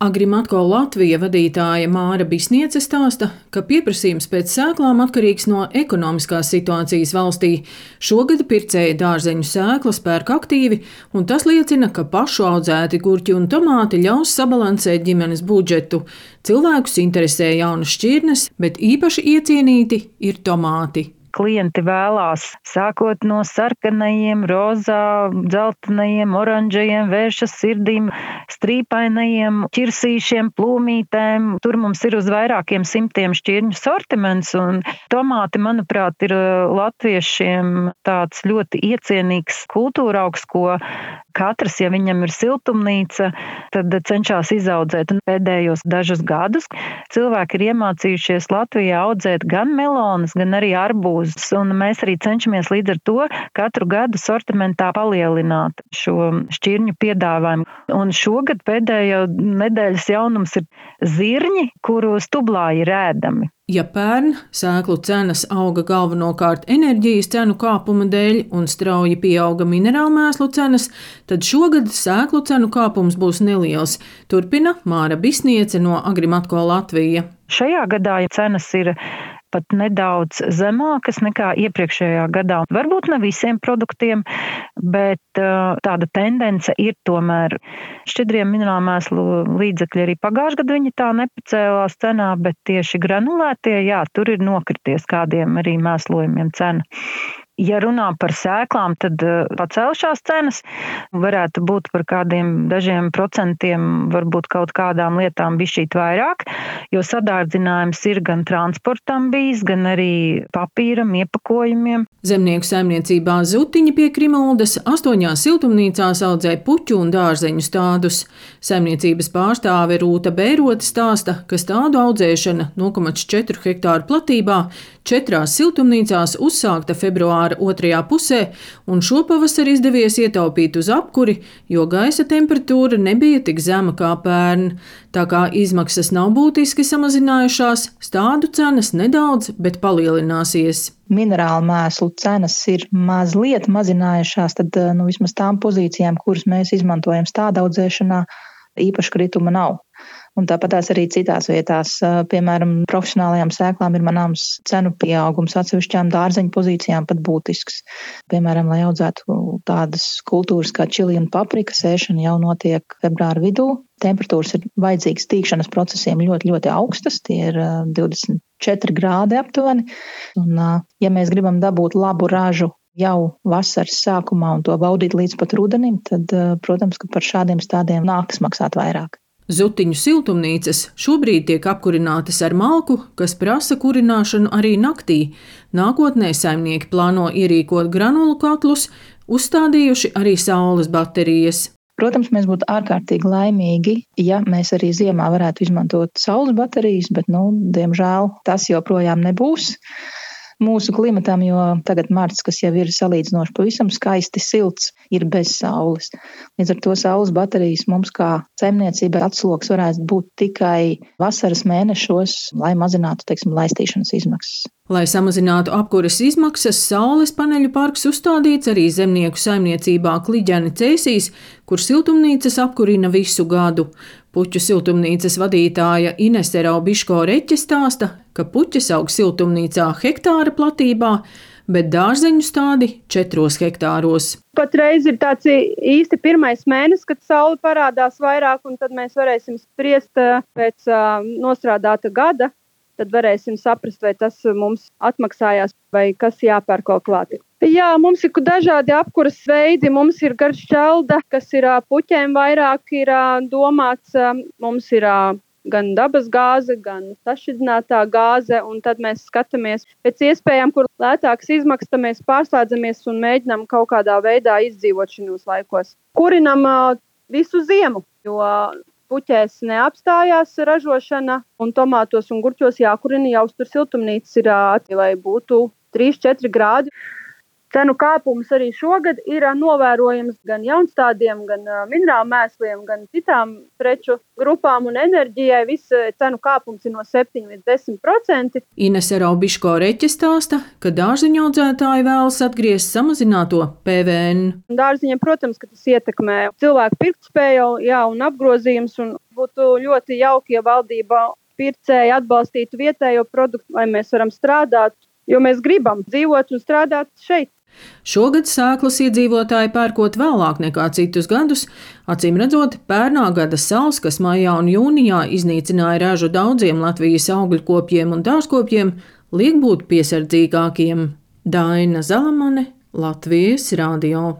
Agrimatko Latvija vadītāja Māra Bisniece stāsta, ka pieprasījums pēc sēklām atkarīgs no ekonomiskās situācijas valstī. Šogad pircēji dārzeņu sēklas pērk aktīvi, un tas liecina, ka pašu audzēti gurķi un tomāti ļaus sabalansēt ģimenes budžetu. Cilvēkus interesē jaunas šķirnes, bet īpaši iecienīti ir tomāti. Klienti vēlās, sākot no sarkanajiem, rozā, dzeltenajiem, oranžajiem, vēršas sirdīm, strīpainajiem, ķirsīšiem, plūmītēm. Tur mums ir uz vairākiem simtiem šķirņu sortiments, un tomāti, manuprāt, ir latviešiem tāds ļoti iecienīgs kultūraugs, ko katrs, ja viņam ir siltumnīca, tad cenšas izaudzēt. Un pēdējos dažus gadus cilvēki ir iemācījušies Latvijā audzēt gan melonas, gan arī arbūzus. Un mēs arī cenšamies līdz ar to katru gadu sortimentā palielināt šo šķirņu piedāvājumu. Un šogad pēdējo nedēļas jaunums ir zirņi, kuru stublāji ir ēdami. Ja pērn sēklu cenas auga galvenokārt enerģijas cenu kāpuma dēļ un strauji pieauga minerālmēslu cenas, tad šogad sēklu cenu kāpums būs neliels, turpina Māra Bisniece no Agrimatko Latvija. Šajā gadā cenas ir pat nedaudz zemākas nekā iepriekšējā gadā. Varbūt ne visiem produktiem, bet tāda tendence ir tomēr. Šķidrie minerālmēslu līdzekļi arī pagājušajā gadā viņi tā nepacēlās cenā, bet tieši granulētie, tur ir nokrities kādiem arī mēslojumiem cena. Ja runā par sēklām, tad pacēlušās cenas varētu būt par kādiem dažiem procentiem, varbūt kaut kādām lietām bišķīt vairāk, jo sadārdzinājums ir gan transportam bijis, gan arī papīram, iepakojumiem. Zemnieku saimniecībā Zutiņi pie Krimuldas 8 siltumnīcās audzē puķu un dārzeņu stādus. Saimniecības pārstāve Rūta Bērote stāsta, ka stādu audzēšana 0,4 hektāru platībā 4 siltumnīcās uzsākta februāra otrajā pusē, un šopavasar izdevies ietaupīt uz apkuri, jo gaisa temperatūra nebija tik zema kā pērn. Tā kā izmaksas nav būtiski samazinājušās, stādu cenas nedaudz, bet palielināsies. Minerālu mēslu cenas ir mazliet mazinājušās, tad vismaz tām pozīcijām, kuras mēs izmantojam stāda audzēšanā, īpaši krituma nav. Un tāpatās arī citās vietās, piemēram, profesionālajām sēklām ir manāms cenu pieaugums, atsevišķām dārzeņu pozīcijām pat būtisks. Piemēram, lai audzētu tādas kultūras kā čili un paprika, sēšana jau notiek februāra vidū. Temperatūras ir vajadzīgas tīkšanas procesiem ļoti, ļoti augstas, tie ir 24 grādi aptuveni. Un, ja mēs gribam dabūt labu ražu jau vasaras sākumā un to baudīt līdz pat rudenim, tad, protams, ka par šādiem stādiem nākas maksāt vairāk. Zutiņu siltumnīcas šobrīd tiek apkurinātas ar malku, kas prasa kurināšanu arī naktī. Nākotnē saimnieki plāno ierīkot granulu katlus, uzstādījuši arī saules baterijas. Protams, mēs būtu ārkārtīgi laimīgi, ja mēs arī ziemā varētu izmantot saules baterijas, bet, diemžēl, tas joprojām nebūs mūsu klimatam, jo tagad marts, kas jau ir salīdzinoši pavisam skaisti silts, ir bez saules. Līdz ar to saules baterijas mums kā saimniecībai atsloks varētu būt tikai vasaras mēnešos, lai mazinātu, laistīšanas izmaksas. Lai samazinātu apkures izmaksas, saules paneļu parks uzstādīts arī zemnieku saimniecībā Kliģeni Cēsīs, kur siltumnīcas apkurina visu gadu. Puķu siltumnīcas vadītāja Inese Raubiško-Reķe stāsta, ka puķes aug siltumnīcā hektāra platībā, bet dārzeņu stādi 4 hektāros. Patreiz ir tāds īsti pirmais mēnesis, kad saule parādās vairāk, un tad mēs varēsim spriest pēc nostrādāta gada. Tad varēsim saprast, vai tas mums atmaksājās, vai kas jāpērk kaut klāt. Jā, mums ir dažādi apkuras veidi. Mums ir garšķelda, kas ir puķēm vairāk ir domāts. Mums ir gan dabas gāze, gan sašķidrinātā gāze, un tad mēs skatāmies pēc iespējām, kur lētākas izmaksas, mēs pārslēdzamies un mēģinām kaut kādā veidā izdzīvot šajos laikos. Kurinam visu ziemu, jo puķēs neapstājās ražošana, un tomātos un gurķos jākurina, jāuztur siltumnīcas ir, lai būtu 3-4 grādi. Cenu kāpums arī šogad ir novērojams gan jaunstādiem, gan minerālu mēsliem, gan citām preču grupām un enerģijai. Viss cenu kāpums ir no 7 līdz 10%. Inese Raubiško-Reķe stāsta, ka dārzeņu audzētāji vēlas atgriezt samazināto PVN. Dārziņiem, protams, ka tas ietekmē cilvēku pirktspēju, un apgrozījums, un būtu ļoti jauki, ja valdība pircēji atbalstītu vietējo produktu, lai mēs varam strādāt, jo mēs gribam dzīvot un strādāt šeit. Šogad sēklas iedzīvotāji pērkot vēlāk nekā citus gadus, acīm redzot, pērnā gada sals, kas maijā un jūnijā iznīcināja ražu daudziem Latvijas augļkopjiem un dārzkopjiem, liek būt piesardzīgākiem. Daina Zalamane, Latvijas radio.